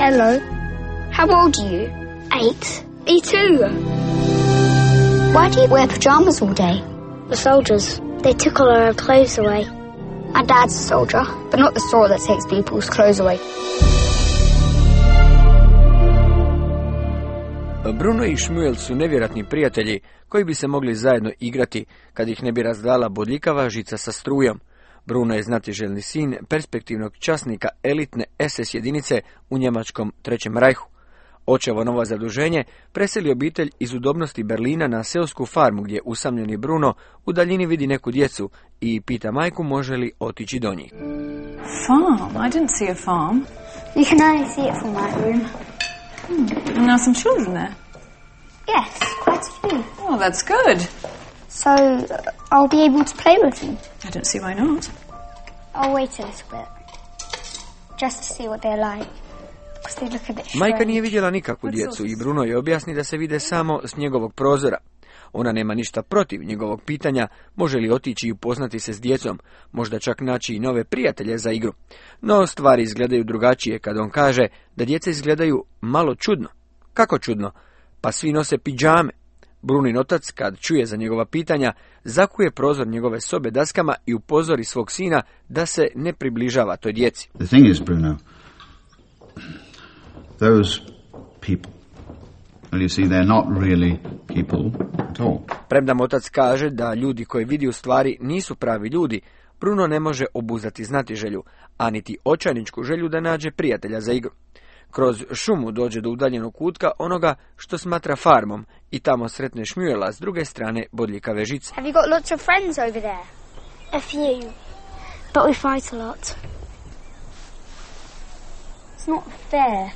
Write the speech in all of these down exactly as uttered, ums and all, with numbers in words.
Hello. How old are you? Eight. Me too. Why do you wear pajamas all day? The soldiers. They took all our clothes away. My dad's a soldier, but not the sort that takes people's clothes away. Bruno i Shmuel su nevjerojatni prijatelji koji bi se mogli zajedno igrati kad ih ne bi razdala bodljikava žica sa strujom. Bruno je znatiželjni sin perspektivnog časnika elitne es es jedinice u njemačkom Trećem rajhu. Očevo novo zaduženje preseli obitelj iz udobnosti Berlina na seosku farmu gdje usamljeni Bruno u daljini vidi neku djecu i pita majku može li otići do njih. Farm? I didn't see a farm. You can only see it from my room. Hmm. And there are some children there? Yes, quite a few. Oh, that's good. So, uh, I'll be able to play with them? I don't see why not. I'll wait a little bit. Just to see what they're like. Because they look a bit strange. Majka nije vidjela nikakvu djecu i Bruno je objasni da se vide samo s njegovog prozora. Ona nema ništa protiv njegovog pitanja može li otići i upoznati se s djecom, možda čak naći i nove prijatelje za igru. No stvari izgledaju drugačije kad on kaže da djeca izgledaju malo čudno. Kako čudno? Pa svi nose pidžame. Brunin otac, kad čuje za njegova pitanja, zakuje prozor njegove sobe daskama i upozori svog sina da se ne približava toj djeci. The thing is, Bruno, those people, well, you see, they're not really people at all. Premda mu otac kaže da ljudi koji vidi u stvari nisu pravi ljudi, Bruno ne može obuzdati znatiželju, a niti očajničku želju da nađe prijatelja za igru. Kroz šumu dođe do udaljenog kutka onoga što smatra farmom i tamo sretne Shmuela s druge strane bodljikave žice. Have you got lots of friends over there? A few, but we fight a lot. It's not fair.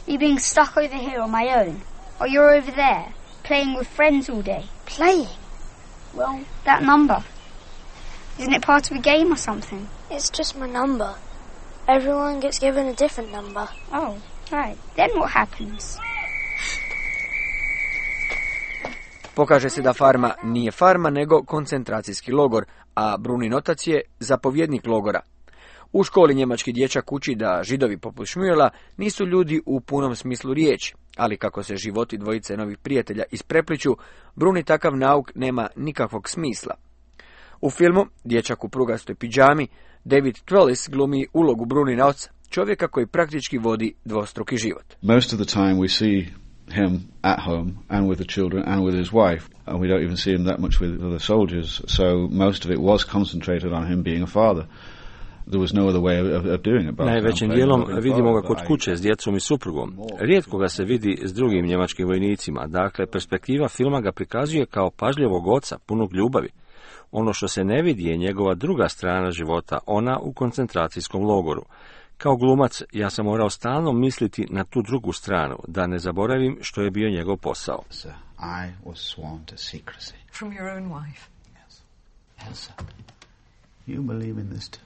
You being stuck over here on my own, or you're over there playing with friends all day. Playing? Well, that number. Isn't it part of a game or something? It's just my number. Everyone gets given a different number. Oh, right. Then what happens? Pokaže se da farma nije farma, nego koncentracijski logor, a Brunin otac je zapovjednik logora. U školi njemački dječak uči da Židovi poput Shmuela nisu ljudi u punom smislu riječi, ali kako se životi dvojice novih prijatelja isprepliću, Bruni takav nauk nema nikakvog smisla. U filmu Dječak u prugastoj pidžami David Twellis glumi ulogu Brunina oca, čovjeka koji praktički vodi dvostruki život. Most of the time we see him at home and with the children and with his wife, and we don't even see him that much with other soldiers, so most of it was concentrated on him being a father. There was no other way of, of doing it. Najvećim dijelom vidimo ga kod kuće s djecom i suprugom. Rijetko ga se vidi s drugim njemačkim vojnicima, dakle perspektiva filma ga prikazuje kao pažljivog oca, punog ljubavi. Ono što se ne vidi je njegova druga strana života, ona u koncentracijskom logoru. Kao glumac ja sam morao stalno misliti na tu drugu stranu, da ne zaboravim što je bio njegov posao. I was sworn to secrecy. From your own wife? Yes. Elsa, you believe in this too?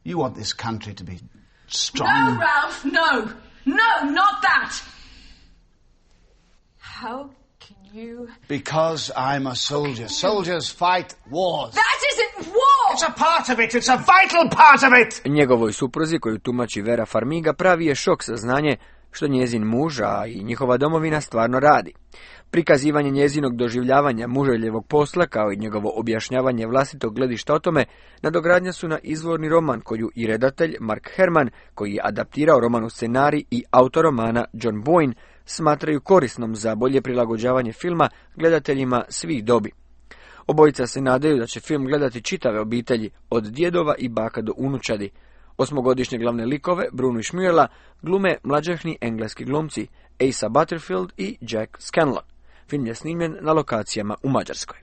You want this country to be strong? No, Ralph, no! No, not that! How can you... Because I'm a soldier. Soldiers fight wars. That isn't war! It's a part of it. It's a vital part of it! Njegovoj supruzi, koju tumači Vera Farmiga, pravi je šok saznanje što njezin muž, a i njihova domovina stvarno radi. Prikazivanje njezinog doživljavanja muželjevog posla, kao i njegovo objašnjavanje vlastitog gledišta o tome, nadogradnja su na izvorni roman koju i redatelj Mark Herman, koji je adaptirao roman u scenarij, i autor romana John Boyne smatraju korisnom za bolje prilagođavanje filma gledateljima svih dobi. Obojica se nadaju da će film gledati čitave obitelji, od djedova i baka do unučadi. Osmogodišnje glavne likove, Brunu i Shmuela, glume mlađahni engleski glumci Asa Butterfield i Jack Scanlon. Film je snimljen na lokacijama u Mađarskoj.